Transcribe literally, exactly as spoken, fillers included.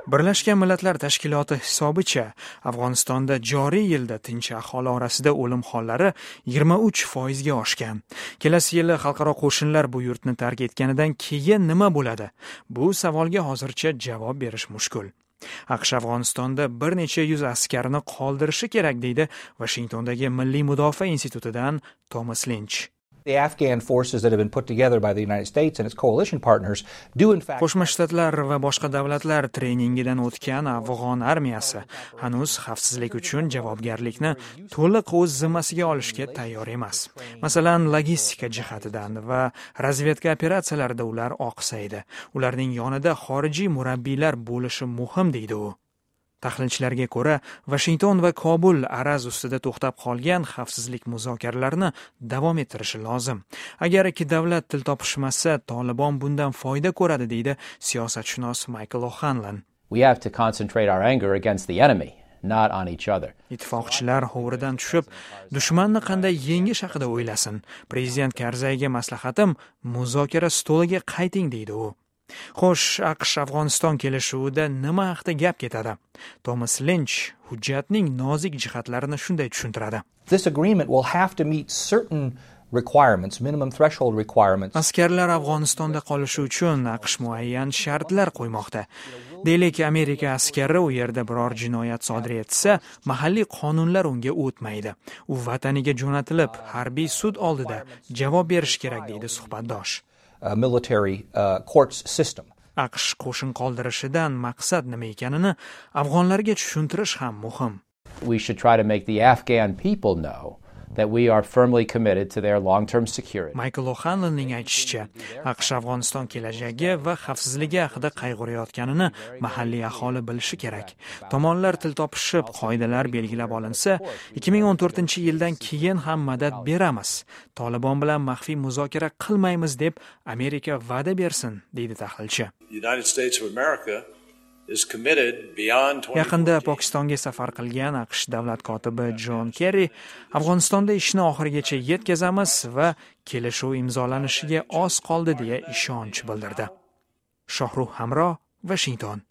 Birlashgan Millatlar Tashkiloti hisobicha, Afg'onistonda joriy yilda tinch aholi orasida o'lim hollari yigirma uch foizga oshgan. Kelasi yili xalqaro qo'shinlar bu yurtni tark etganidan keyin nima bo'ladi? Bu savolga hozircha javob berish mushkul. AQSh Afg'onistonda bir necha yuz askarni qoldirishi kerak, deydi Vashingtondagi Milliy mudofaa institutidan Thomas Linch. The Afghan forces that have been put together by the United States and its coalition partners do in fact Qo'shma Shtatlar va boshqa davlatlar treningidan o'tgan afg'on armiyasi hanuz xavfsizlik uchun javobgarlikni to'liq o'z zimmasiga olishga tayyor emas. Masalan, logistika jihatidan va razvedka operatsiyalarida ular oqsaydi. Ularning yonida xorijiy murabbiylar bo'lishi muhim, deydi u. Tahlilchilarga ko'ra, Vashington va Kobul araz ustida to'xtab qolgan xavfsizlik muzokaralarini davom ettirishi lozim. Agar ikki davlat til topishmasa, Tolibon bundan foyda ko'radi, deydi siyosatshunos Michael O'Hanlon. We have to concentrate our anger against the enemy, not on each other. Ittifoqchilar hovuridan tushib, dushmanni qanday yengish haqida o'ylasin. Prezident Karzayga maslahatim, muzokara stoliga qayting, deydi u. Xo'sh, AQSh Afg'oniston kelishuvida nima haqida gap ketadi? Thomas Linch hujjatning nozik jihatlarini shunday tushuntiradi. This agreement will have to meet certain requirements, minimum threshold requirements. Askarlar Afg'onistonda qolishi uchun AQSh muayyan shartlar qo'ymoqda. Deylik, Amerika askari u yerda biror jinoyat sodir etsa, mahalliy qonunlar unga o'tmaydi. U vataniga jo'natilib, harbiy sud oldida javob berishi kerak, deydi suhbatdosh. Uh, military, uh, courts system. AQSh qo'shin qoldirishidan maqsad nima ekanini afg'onlarga tushuntirish ham muhim. We should try to make the Afghan people know that we are firmly committed to their long-term security. Michael O'Hanlonning aytishicha, AQSh Afg'oniston kelajagi va xavfsizligi haqida qayg'urayotganini mahalliy aholi bilishi kerak. Tomonlar til topishib, qoidalar belgilab olinsa, ikki ming o'n to'rtinchi yildan keyin ham madad beramiz. Tolibon bilan maxfiy muzokara qilmaymiz deb Amerika va'da bersin, deydi tahlilchi. The United States of America is committed beyond twenty Yaqinda fourteen. Pokistonga safar qilgan AQSh davlat kotibi Jon Kerri Afg'onistonda ishni oxirigacha yetkazamiz va kelishuv imzolanishiga oz qoldi deya ishonch bildirdi. Shohrux Hamro, Vashington.